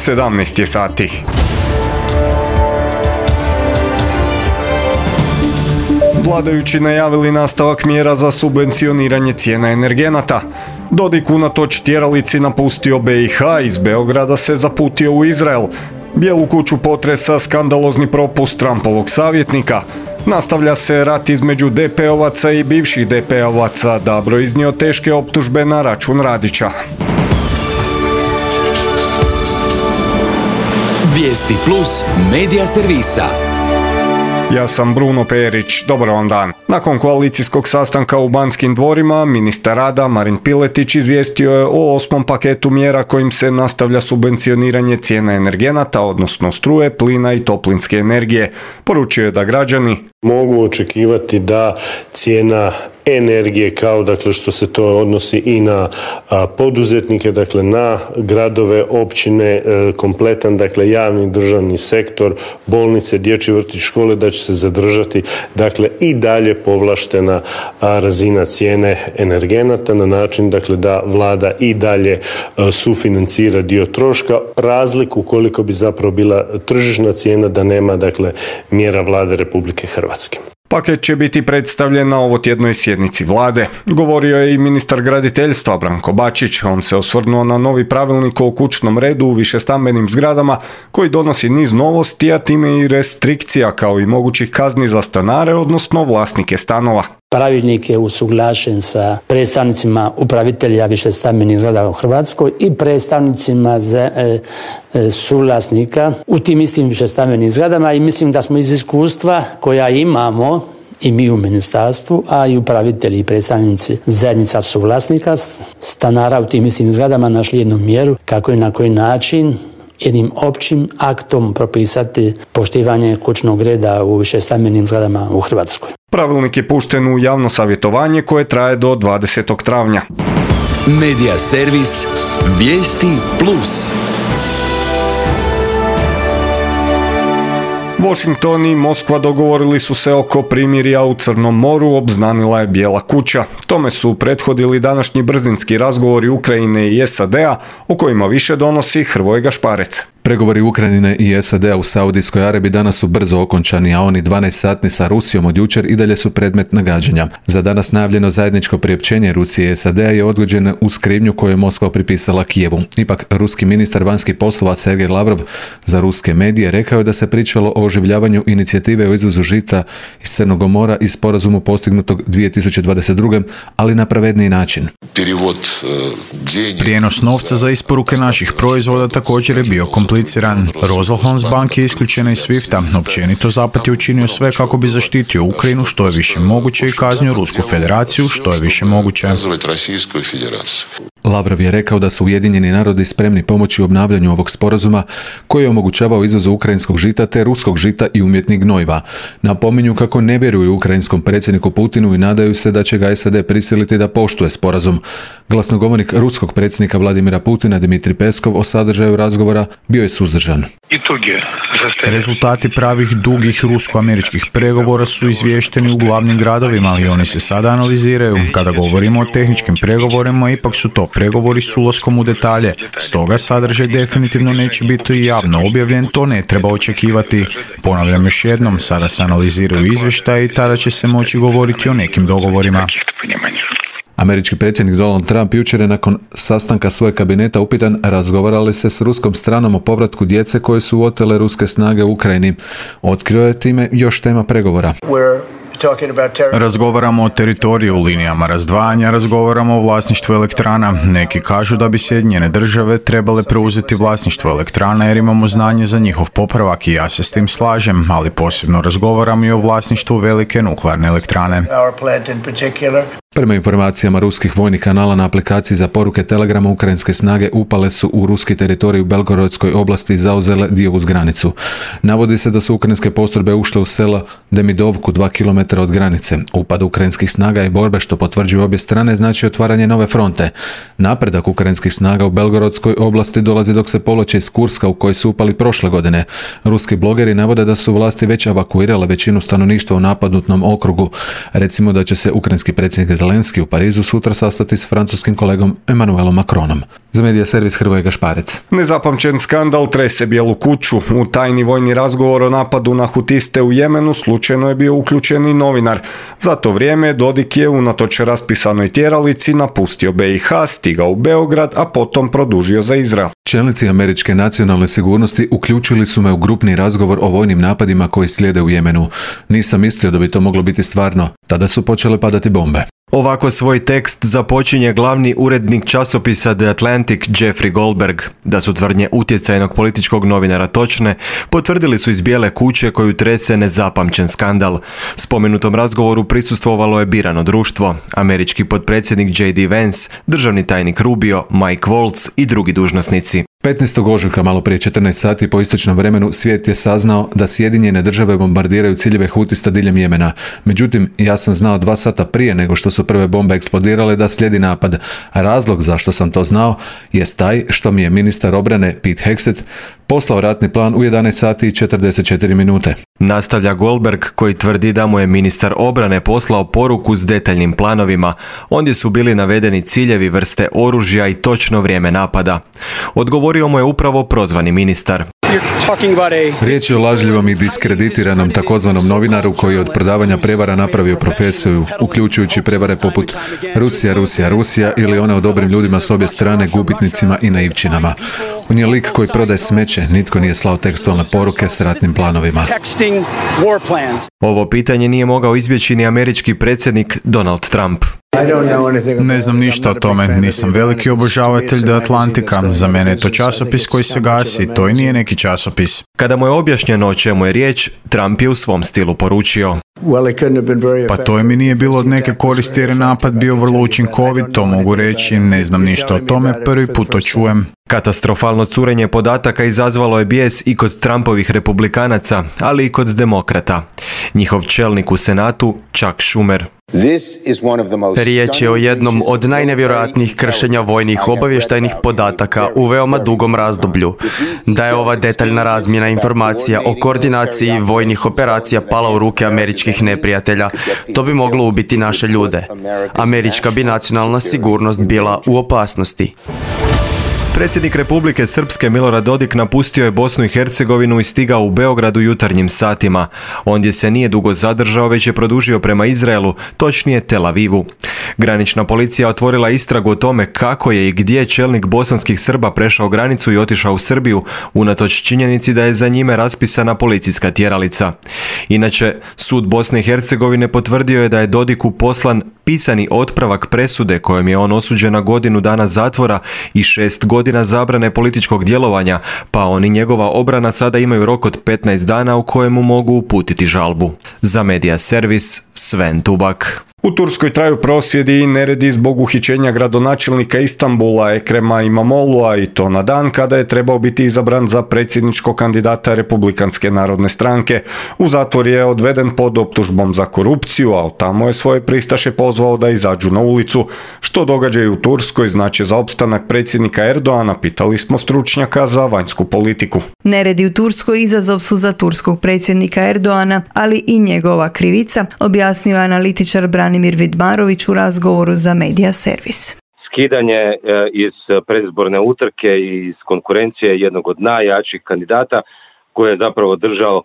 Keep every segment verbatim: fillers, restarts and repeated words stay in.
sedamnaest je sati. Vladajući najavili nastavak mjera za subvencioniranje cijena energenata. Dodik unatoč tjeralici napustio B i H, iz Beograda se zaputio u Izrael. Bijelu kuću potresa skandalozni propust Trumpovog savjetnika. Nastavlja se rat između D P-ovaca i bivših D P-ovaca. Dabro iznio teške optužbe na račun Radića. Vijesti plus medija servisa. Ja sam Bruno Perić, dobar vam dan. Nakon koalicijskog sastanka u Banskim dvorima, ministar rada Marin Piletić izvijestio je o osmom paketu mjera kojim se nastavlja subvencioniranje cijena energenata, odnosno struje, plina i toplinske energije. Poručio je da građani mogu očekivati da cijena energije, kao dakle što se to odnosi i na a, poduzetnike, dakle na gradove, općine, e, kompletan dakle javni državni sektor, bolnice, dječji vrtić, škole, da će se zadržati dakle i dalje povlaštena a, razina cijene energenata na način dakle da vlada i dalje a, sufinancira dio troška, razliku koliko bi zapravo bila tržišna cijena da nema dakle mjera vlade Republike Hrvatske. Paket će biti predstavljen na ovotjednoj sjednici vlade. Govorio je i ministar graditeljstva Branko Bačić. On se osvrnuo na novi pravilnik o kućnom redu u višestambenim zgradama koji donosi niz novosti, a time i restrikcija kao i mogućih kazni za stanare, odnosno vlasnike stanova. Pravilnik je usuglašen sa predstavnicima upravitelja višestambenih zgrada u Hrvatskoj i predstavnicima za, e, e, suvlasnika u tim istim višestambenim zgradama i mislim da smo iz iskustva koja imamo i mi u ministarstvu, a i upravitelji i predstavnici zajednica suvlasnika stanara u tim istim zgradama našli jednu mjeru kako i na koji način jednim općim aktom propisati poštivanje kućnog reda u višestambenim zgradama u Hrvatskoj. Pravilnik je pušten u javno savjetovanje koje traje do dvadesetog travnja. Medija servis Vijesti plus. Washington i Moskva dogovorili su se oko primirja u Crnom moru, obznanila je Bijela kuća. Tome su prethodili današnji brzinski razgovori Ukrajine i S A D-a, o kojima više donosi Hrvoje Gašparec. Pregovori Ukrajine i S A D-a u Saudijskoj Arabiji danas su brzo okončani, a oni dvanaest satni sa Rusijom od jučer i dalje su predmet nagađanja. Za danas najavljeno zajedničko priopćenje Rusije i S A D-a je odgođeno uz krivnju koju je Moskva pripisala Kijevu. Ipak, ruski ministar vanjskih poslova Sergej Lavrov za ruske medije rekao je da se pričalo o oživljavanju inicijative o izvozu žita iz Crnog mora i sporazumu postignutog dvije tisuće dvadeset druge. ali na pravedniji način. Prijenos novca za isporuke naših proizvoda također je bio kompliciran. Rosenholz-Bank je isključena iz Swifta. Općenito Zapad je učinio sve kako bi zaštitio Ukrajinu što je više moguće i kaznio Rusku federaciju što je više moguće. Lavrov je rekao da su Ujedinjeni narodi spremni pomoći u obnavljanju ovog sporazuma koji je omogućavao izvoz ukrajinskog žita te ruskog žita i umjetnih gnojiva. Napominju kako ne vjeruju ukrajinskom predsjedniku Putinu i nadaju se da će ga S A D prisiliti da poštuje sporazum. Glasnogovornik ruskog predsjednika Vladimira Putina Dmitrij Peskov o sadržaju razgovora bio je suzdržan. Rezultati pravih dugih rusko-američkih pregovora su izvješteni u glavnim gradovima, ali oni se sada analiziraju. Kada govorimo o tehničkim pregovorima, ipak su to pregovori s ulaskom u detalje. Stoga sadržaj definitivno neće biti javno objavljen, to ne treba očekivati. Ponavljam još jednom, sada se analiziraju izvještaji i tada će se moći govoriti o nekim dogovorima. Američki predsjednik Donald Trump jučer je nakon sastanka svojeg kabineta upitan razgovarali se s ruskom stranom o povratku djece koje su otele ruske snage u Ukrajini. Otkrio je time još tema pregovora. Razgovaramo o teritoriju, linijama razdvajanja, razgovaramo o vlasništvu elektrana. Neki kažu da bi Sjedinjene države trebale preuzeti vlasništvo elektrana jer imamo znanje za njihov popravak i ja se s tim slažem, ali posebno razgovaramo i o vlasništvu velike nuklearne elektrane. Prema informacijama ruskih vojnih kanala na aplikaciji za poruke Telegrama, ukrajinske snage upale su u ruski teritorij u Belgorodskoj oblasti i zauzele dio uz granicu. Navodi se da su ukrajinske postrojbe ušle u selo Demidovku, dva kilometra od granice. Upad ukrajinskih snaga i borbe, što potvrđuju obje strane, znači otvaranje nove fronte. Napredak ukrajinskih snaga u Belgorodskoj oblasti dolazi dok se povlače iz Kurska u koji su upali prošle godine. Ruski blogeri navode da su vlasti već evakuirale većinu stanovništva u napadnutnom okrugu. Recimo da će se ukrajinski predsjednik Zelenski u Parizu sutra sastati s francuskim kolegom Emmanuelom Macronom. Za Medija servis Hrvoje Gašparec. Nezapamćen skandal trese Bijelu kuću. U tajni vojni razgovor o napadu na hutiste u Jemenu slučajno je bio uključen i novinar. Za to vrijeme Dodik je unatoč raspisanoj tjeralici napustio B i H, stigao u Beograd, a potom produžio za Izrael. Čelnici američke nacionalne sigurnosti uključili su me u grupni razgovor o vojnim napadima koji slijede u Jemenu. Nisam mislio da bi to moglo biti stvarno. Tada su počele padati bombe. Ovako svoj tekst započinje glavni urednik časopisa The Atlantic Jeffrey Goldberg. Da su tvrdnje utjecajnog političkog novinara točne, potvrdili su iz Bijele kuće koju trese nezapamćen skandal. Spomenutom razgovoru prisustvovalo je birano društvo, američki potpredsjednik J D Vance, državni tajnik Rubio, Mike Waltz i drugi dužnosnici. petnaestog ožujka malo prije četrnaest sati po istočnom vremenu svijet je saznao da Sjedinjene države bombardiraju ciljeve hutista diljem Jemena. Međutim, ja sam znao dva sata prije nego što su prve bombe eksplodirale da slijedi napad. Razlog zašto sam to znao jest taj što mi je ministar obrane Pete Hegseth poslao ratni plan u jedanaest sati i četrdeset četiri minute. Nastavlja Goldberg koji tvrdi da mu je ministar obrane poslao poruku s detaljnim planovima. Ondje su bili navedeni ciljevi, vrste oružja i točno vrijeme napada. Odgovorio mu je upravo prozvani ministar. Riječ je o lažljivom i diskreditiranom takozvanom novinaru koji je od prodavanja prevara napravio profesiju, uključujući prevare poput Rusija, Rusija, Rusija ili one o dobrim ljudima s obje strane, gubitnicima i naivčinama. On je lik koji prodaje smeće, nitko nije slao tekstualne poruke s ratnim planovima. Ovo pitanje nije mogao izbjeći ni američki predsjednik Donald Trump. Ne znam ništa o tome, nisam veliki obožavatelj The Atlantika, za mene je to časopis koji se gasi, to i nije neki časopis. Kada mu je objašnjeno o čemu je riječ, Trump je u svom stilu poručio. Pa to mi nije bilo od neke koristi jer je napad bio vrlo učinkovit, to mogu reći, ne znam ništa o tome, prvi put to čujem. Katastrofalno curenje podataka izazvalo je bijes i kod Trumpovih republikanaca, ali i kod demokrata. Njihov čelnik u Senatu, Chuck Schumer. Riječ je o jednom od najnevjerojatnijih kršenja vojnih obavještajnih podataka u veoma dugom razdoblju. Da je ova detaljna razmjena informacija o koordinaciji vojnih operacija pala u ruke američkih neprijatelja, to bi moglo ubiti naše ljude. Američka bi nacionalna sigurnost bila u opasnosti. Predsjednik Republike Srpske Milorad Dodik napustio je Bosnu i Hercegovinu i stigao u Beograd u jutarnjim satima. Ondje se nije dugo zadržao, već je produžio prema Izraelu, točnije Tel Avivu. Granična policija otvorila istragu o tome kako je i gdje čelnik bosanskih Srba prešao granicu i otišao u Srbiju, unatoč činjenici da je za njime raspisana policijska tjeralica. Inače, sud Bosne i Hercegovine potvrdio je da je Dodiku poslan pisani otpravak presude kojom je on osuđen na godinu dana zatvora i šest godina zabrane političkog djelovanja, pa on i njegova obrana sada imaju rok od petnaest dana u kojemu mogu uputiti žalbu. Za Medija servis Sven Tubak. U Turskoj traju prosvjedi i neredi zbog uhićenja gradonačelnika Istanbula Ekrema Imamoglu'a i to na dan kada je trebao biti izabran za predsjedničkog kandidata Republikanske narodne stranke. U zatvor je odveden pod optužbom za korupciju, a tamo je svoje pristaše pozvao da izađu na ulicu. Što događaji u Turskoj znači za opstanak predsjednika Erdoana, pitali smo stručnjaka za vanjsku politiku. Neredi u Turskoj izazov su za turskog predsjednika Erdoana, ali i njegova krivica, objasnio je analitičar Branimir Vidmarović u razgovoru za Medija servis. Skidanje iz predizborne utrke i iz konkurencije jednog od najjačih kandidata koji je zapravo držao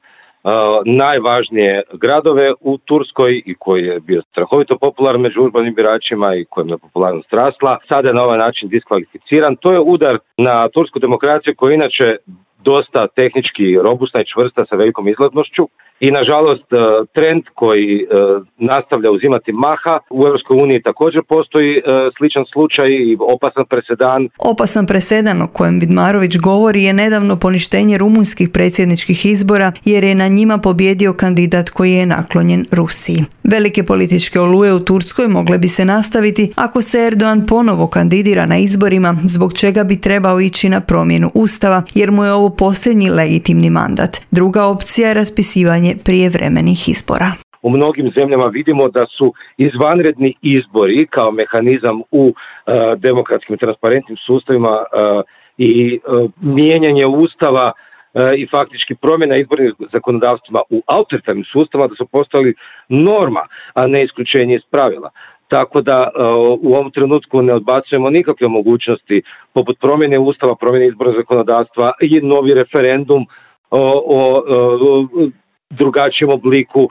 najvažnije gradove u Turskoj i koji je bio strahovito popularan među urbanim biračima i kojem je popularnost rasla, sada je na ovaj način diskvalificiran. To je udar na tursku demokraciju koja je inače dosta tehnički robustna i čvrsta sa velikom izlaznošću i nažalost trend koji nastavlja uzimati maha u Europskoj uniji također postoji sličan slučaj i opasan presedan. Opasan presedan o kojem Vidmarović govori je nedavno poništenje rumunjskih predsjedničkih izbora jer je na njima pobjedio kandidat koji je naklonjen Rusiji. Velike političke oluje u Turskoj mogle bi se nastaviti ako se Erdogan ponovo kandidira na izborima, zbog čega bi trebao ići na promjenu ustava jer mu je ovo posljednji legitimni mandat. Druga opcija je raspisivanje prijevremenih izbora. U mnogim zemljama vidimo da su izvanredni izbori kao mehanizam u uh, demokratskim i transparentnim sustavima uh, i uh, mijenjanje ustava uh, i faktički promjena izbornih zakonodavstvima u autoritarnim sustavima da su postali norma, a ne isključenje iz pravila. tako da u ovom trenutku ne odbacujemo nikakve mogućnosti poput promjene ustava, promjene izbornog zakonodavstva i novi referendum o, o, o drugačijem obliku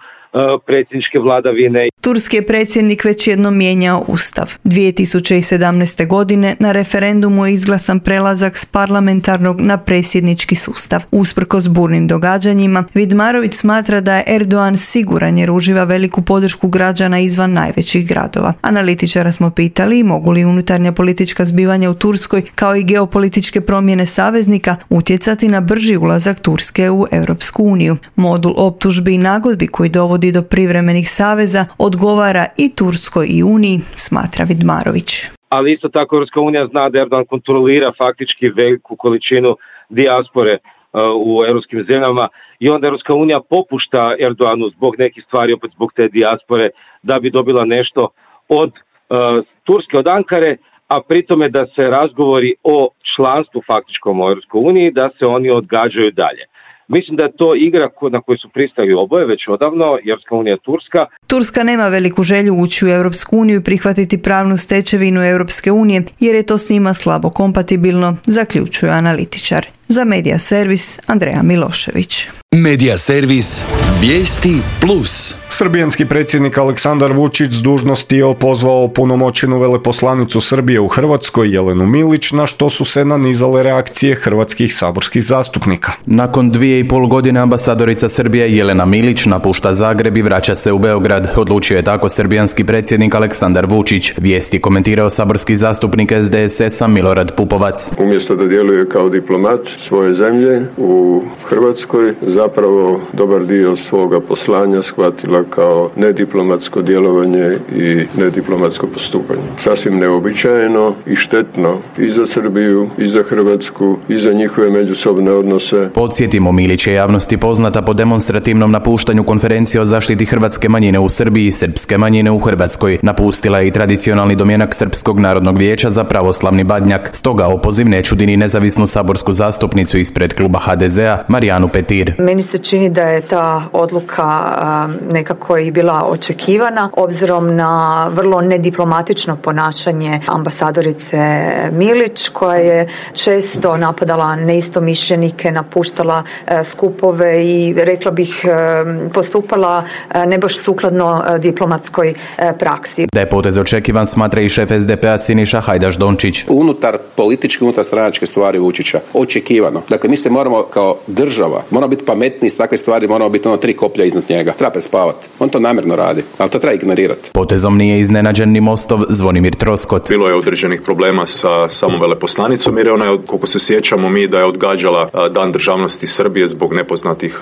predsjedničke vladavine. Turski je predsjednik već jednom mijenjao ustav. dvije tisuće sedamnaeste. godine na referendumu je izglasan prelazak s parlamentarnog na predsjednički sustav. Usprkos burnim događanjima, Vidmarović smatra da je Erdogan siguran jer uživa veliku podršku građana izvan najvećih gradova. Analitičara smo pitali mogu li unutarnja politička zbivanja u Turskoj kao i geopolitičke promjene saveznika utjecati na brži ulazak Turske u Europsku uniju. Modul optužbi i nagodbi koji dovodi do privremenih saveza odgovara i Turskoj i Uniji, smatra Vidmarović. Ali isto tako Europska unija zna da Erdogan kontrolira faktički veliku količinu dijaspore uh, u europskim zemljama i onda Europska unija popušta Erdoganu zbog nekih stvari, opet zbog te dijaspore, da bi dobila nešto od uh, Turske, od Ankare, a pritome da se razgovori o članstvu faktičkom u Europskoj uniji, da se oni odgađaju dalje. Mislim da je to igra na koju su pristali oboje već odavno, Europska unija Turska. Turska nema veliku želju ući u Europsku uniju i prihvatiti pravnu stečevinu Europske unije, jer je to s njima slabo kompatibilno, zaključuje analitičar. Za Medija servis Andreja Milošević. Medija servis Vijesti plus. Srbijanski predsjednik Aleksandar Vučić s dužnosti je opozvao punomoćenu veleposlanicu Srbije u Hrvatskoj Jelenu Milić, na što su se nanizale reakcije hrvatskih saborskih zastupnika. Nakon dvije i pol godine ambasadorica Srbije Jelena Milić napušta Zagreb i vraća se u Beograd. Odlučio je tako srbijanski predsjednik Aleksandar Vučić. Vijesti komentirao saborski zastupnik S D S S-a Milorad Pupovac. Umjesto da djeluje kao diplomat svoje zemlje u Hrvatskoj, zapravo dobar dio svoga poslanja shvatila kao nediplomatsko djelovanje i nediplomatsko postupanje. Sasvim neobičajeno i štetno i za Srbiju, i za Hrvatsku, i za njihove međusobne odnose. Podsjetimo, Milić je javnosti poznata po demonstrativnom napuštanju konferencije o zaštiti hrvatske manjine u Srbiji i srpske manjine u Hrvatskoj. Napustila je i tradicionalni domjenak Srpskog narodnog vijeća za pravoslavni Badnjak. Stoga opoziv ne čudi ni nezavisnu saborsku zastupnicu ispred kluba H D Z-a Marijanu Petir. Meni se čini da je ta odluka nekako i bila očekivana, obzirom na vrlo nediplomatično ponašanje ambasadorice Milić, koja je često napadala neistomišljenike, napuštala skupove i rekla bih postupala ne baš sukladno diplomatskoj praksi. Da je potez očekivan, smatra i šef S D P-a Siniša Hajdaš Dončić. Unutar političke, unutar stranačke stvari Vučića očekivano. Dakle, mi se moramo kao država, moramo biti pametni s takve stvari, moramo biti ono tri koplja iznad njega. Treba prespavati. On to namjerno radi, ali to treba ignorirati. Potezom nije iznenađen ni Mostov Zvonimir Troskot. Bilo je određenih problema sa samom veleposlanicom, jer ona je, koliko se sjećamo mi, da je odgađala Dan državnosti Srbije zbog nepoznatih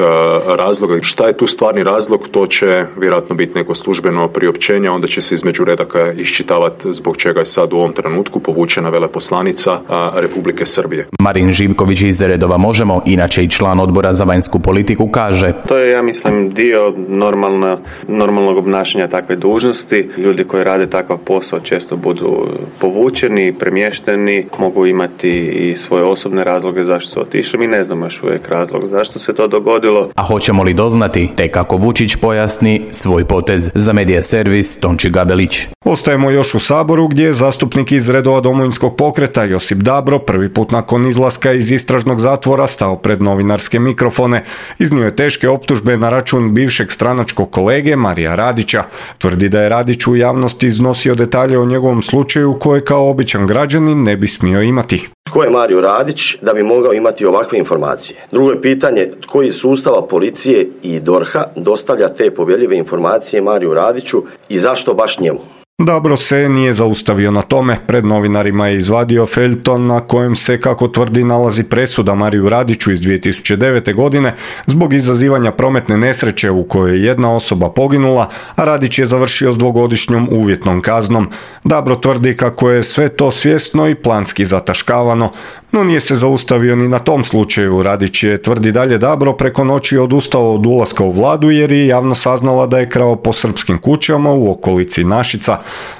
razloga. Šta je tu stvarni razlog, to će vjerojatno biti neko službeno priopćenje, onda će se između redaka iščitavati zbog čega je sad u ovom trenutku povučena veleposlanica Republike Srbije. Marin Živković iz redova Možemo, inače i član odbora za vanjsku politiku, kaže: To je, ja mislim, dio normalna, normalnog obnašanja takve dužnosti. Ljudi koji rade takav posao često budu povučeni, premješteni, mogu imati i svoje osobne razloge zašto su otišli. Mi ne znamo još uvijek razlog zašto se to dogodilo. A hoćemo li doznati, te kako Vučić pojasni svoj potez. Za Medija servis Tonči Gabelić. Ostajemo još u Saboru, gdje je zastupnik iz redova Domovinskog pokreta Josip Dabro prvi put nakon izlaska iz istražnog zatvora stao pred novinarske mikrofone. Iznio je teške optužbe na račun bivšeg stranačkog kolege Marija Radića. Tvrdi da je Radić u javnosti iznosio detalje o njegovom slučaju koje kao običan građanin ne bi smio imati. Tko je Mario Radić da bi mogao imati ovakve informacije? Drugo je pitanje, tko iz sustava policije i D O R H-a dostavlja te povjerljive informacije Mariju Radiću i zašto baš njemu? Dabro se nije zaustavio na tome. Pred novinarima je izvadio feljton na kojem se, kako tvrdi, nalazi presuda Mariju Radiću iz dvije tisuće devete. godine zbog izazivanja prometne nesreće u kojoj je jedna osoba poginula, a Radić je završio s dvogodišnjom uvjetnom kaznom. Dabro tvrdi kako je sve to svjesno i planski zataškavano, no nije se zaustavio ni na tom slučaju. Radić je, tvrdi dalje Dabro, preko noći odustao od ulaska u vladu jer je javno saznala da je krao po srpskim kućama u okolici Našica.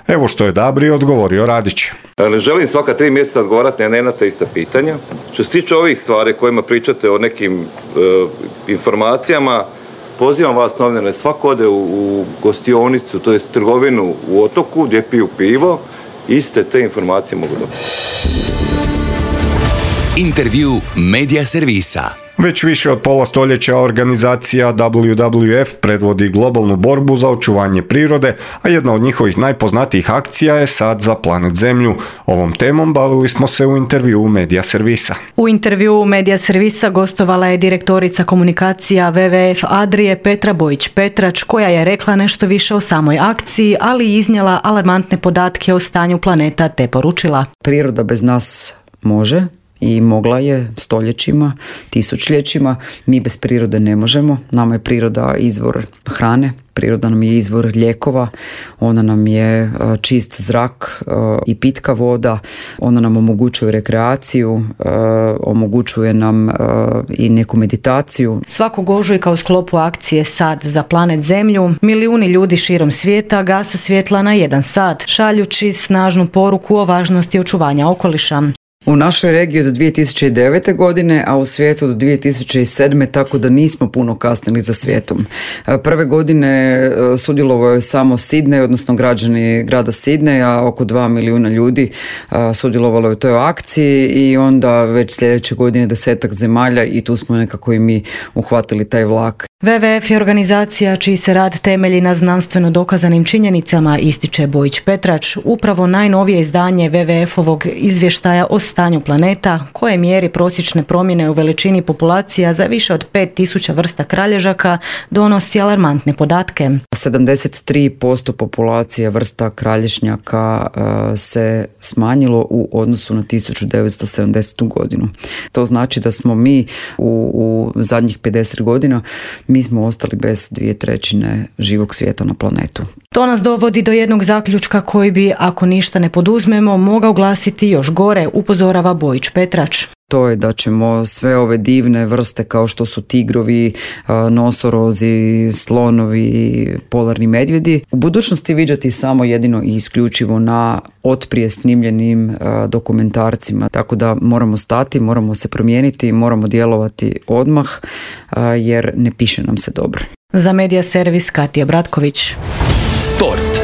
Evo što je Dabri odgovorio Radić. Ne želim svaka tri mjeseca odgovarati na jedna te ista pitanja. Što se tiče ovih stvari kojima pričate o nekim e, informacijama, pozivam vas novinare, svako ode u, u gostionicu, to jest trgovinu u Otoku gdje piju pivo, iste te informacije mogu dobiti. Intervju Medija servisa. Već više od pola stoljeća organizacija W W F predvodi globalnu borbu za očuvanje prirode, a jedna od njihovih najpoznatijih akcija je Sad za planet Zemlju. Ovom temom bavili smo se u intervjuu Medija servisa. U intervjuu Medija servisa gostovala je direktorica komunikacija W W F Adrije Petra Bojić-Petrač, koja je rekla nešto više o samoj akciji, ali i iznijela alarmantne podatke o stanju planeta te poručila: priroda bez nas može i mogla je stoljećima, tisućljećima. Mi bez prirode ne možemo. Nama je priroda izvor hrane, priroda nam je izvor lijekova, ona nam je čist zrak i pitka voda, ona nam omogućuje rekreaciju, omogućuje nam i neku meditaciju. Svakog ožujka u sklopu akcije Sad za planet Zemlju milijuni ljudi širom svijeta gase svjetla na jedan sat, šaljući snažnu poruku o važnosti očuvanja okoliša. U našoj regiji od dvije tisuće devete. godine, a u svijetu do dvije tisuće sedme. tako da nismo puno kasnili za svijetom. Prve godine sudjelovao je samo Sidney, odnosno građani grada Sidneja, oko dva milijuna ljudi sudjelovalo je u toj akciji i onda već sljedeće godine desetak zemalja i tu smo nekako i mi uhvatili taj vlak. W W F je organizacija čiji se rad temelji na znanstveno dokazanim činjenicama, ističe Bojić-Petrač. Upravo najnovije izdanje W W F-ovog izvještaja o stanju planeta, koje mjeri prosječne promjene u veličini populacija za više od pet tisuća vrsta kralježaka, donosi alarmantne podatke. sedamdeset tri posto populacije vrsta kralježnjaka uh, se smanjilo u odnosu na tisuću devetsto sedamdesetu. godinu. To znači da smo mi u, u zadnjih pedeset godina mi smo ostali bez dvije trećine živog svijeta na planetu. To nas dovodi do jednog zaključka koji bi, ako ništa ne poduzmemo, mogao glasiti još gore, upozorava Bojić-Petrač. To je da ćemo sve ove divne vrste kao što su tigrovi, nosorozi, slonovi, polarni medvjedi u budućnosti viđati samo jedino i isključivo na otprije snimljenim dokumentarcima. Tako da moramo stati, moramo se promijeniti, moramo djelovati odmah jer ne piše nam se dobro. Za Medija servis Katija Bratković. Sport.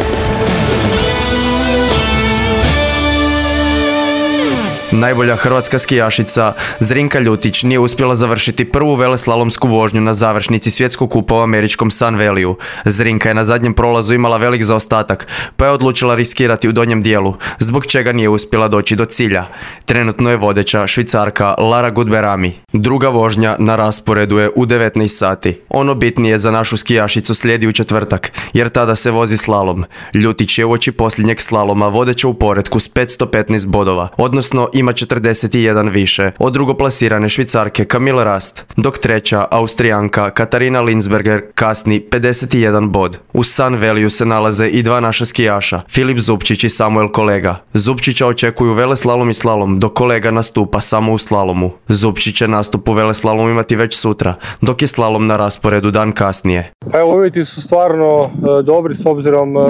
Najbolja hrvatska skijašica Zrinka Ljutić nije uspjela završiti prvu veleslalomsku vožnju na završnici svjetskog kupa u američkom Sun Valleyu. Zrinka je na zadnjem prolazu imala velik zaostatak, pa je odlučila riskirati u donjem dijelu, zbog čega nije uspjela doći do cilja. Trenutno je vodeća Švicarka Lara Gutberami. Druga vožnja na rasporedu je u devetnaest sati. Ono bitnije za našu skijašicu slijedi u četvrtak, jer tada se vozi slalom. Ljutić je uoči posljednjeg slaloma vodeća u poretku s petsto petnaest bodova, odnosno ima četrdeset jedan više od drugoplasirane Švicarke Camille Rast, dok treća Austrijanka Katarina Linsberger kasni pedeset jedan bod. U Sun Valleyu se nalaze i dva naša skijaša, Filip Zupčić i Samuel Kolega. Zupčića očekuju veleslalom i slalom, dok Kolega nastupa samo u slalomu. Zupčić će nastup u veleslalomu imati već sutra, dok je slalom na rasporedu dan kasnije. Evo, uvjeti su stvarno e, dobri s obzirom e,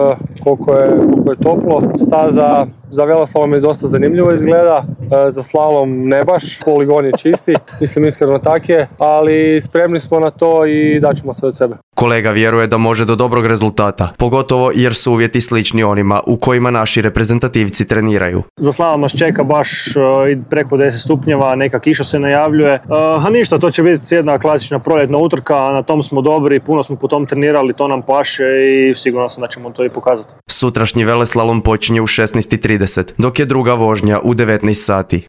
koliko, je, koliko je toplo. Staza za veleslalom je dosta zanimljivo izgleda. Za slalom ne baš, poligon je čisti, mislim iskreno tak je, ali spremni smo na to i daćemo sve od sebe. Kolega vjeruje da može do dobrog rezultata, pogotovo jer su uvjeti slični onima u kojima naši reprezentativci treniraju. Za slalom nas čeka baš uh, preko deset stupnjeva, neka kiša se najavljuje, uh, a ništa, to će biti jedna klasična proljetna utrka, na tom smo dobri, puno smo po tom trenirali, to nam paše i sigurno sam da ćemo to i pokazati. Sutrašnji veleslalom počinje u šesnaest i trideset, dok je druga vožnja u devetnaest sati.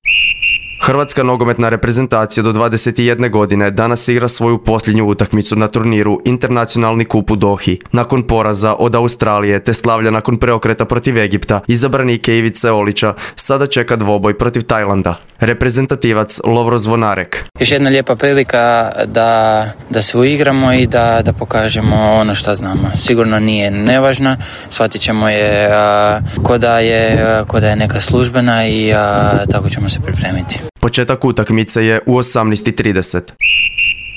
Hrvatska nogometna reprezentacija do dvadeset jedne godine danas igra svoju posljednju utakmicu na turniru Internacionalni kup u Dohi. Nakon poraza od Australije te slavlja nakon preokreta protiv Egipta, izabranike Ivice Olića sada čeka dvoboj protiv Tajlanda. Reprezentativac Lovro Zvonarek. Još jedna lijepa prilika da, da se uigramo i da, da pokažemo ono što znamo. Sigurno nije nevažna, shvatit ćemo je a, ko, da je, a, ko da je neka službena i a, tako ćemo se pripremiti. Početak utakmice je u osamnaest i trideset.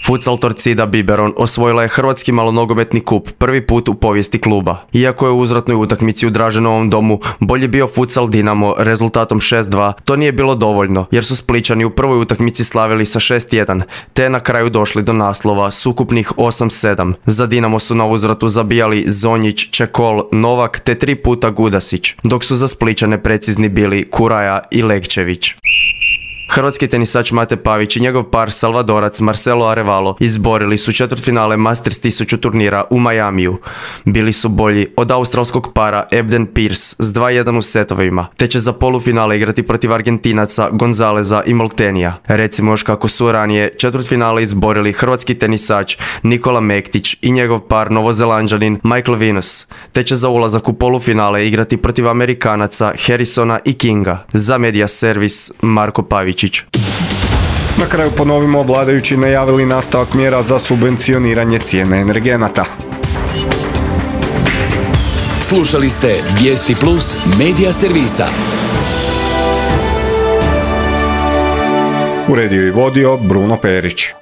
Futsal Torcida Biberon osvojila je hrvatski malonogometni kup prvi put u povijesti kluba. Iako je u uzvratnoj utakmici u Draženovom domu bolji bio Futsal Dinamo rezultatom šest dva, to nije bilo dovoljno jer su Splićani u prvoj utakmici slavili sa šest jedan, te na kraju došli do naslova s ukupnih osam sedam. Za Dinamo su na uzvratu zabijali Zonjić, Čekol, Novak te tri puta Gudasić, dok su za Splićane precizni bili Kuraja i Legčević. Hrvatski tenisač Mate Pavić i njegov par Salvadorac Marcelo Arevalo izborili su četvrtfinale Masters tisuću turnira u Majamiju. Bili su bolji od australskog para Ebden Pearce s dva jedan u setovima, te će za polufinale igrati protiv Argentinaca Gonzaleza i Moltenija. Recimo još kako su ranije četvrtfinale izborili hrvatski tenisač Nikola Mektić i njegov par Novozelanđanin Michael Venus, te će za ulazak u polufinale igrati protiv Amerikanaca Harrisona i Kinga. Za Media Servis Marko Pavić. Na kraju ponovimo, vladajući najavili nastavak mjera za subvencioniranje cijene energenata. Slušali ste Vijesti Plus Media Servisa. Uredio i vodio Bruno Perić.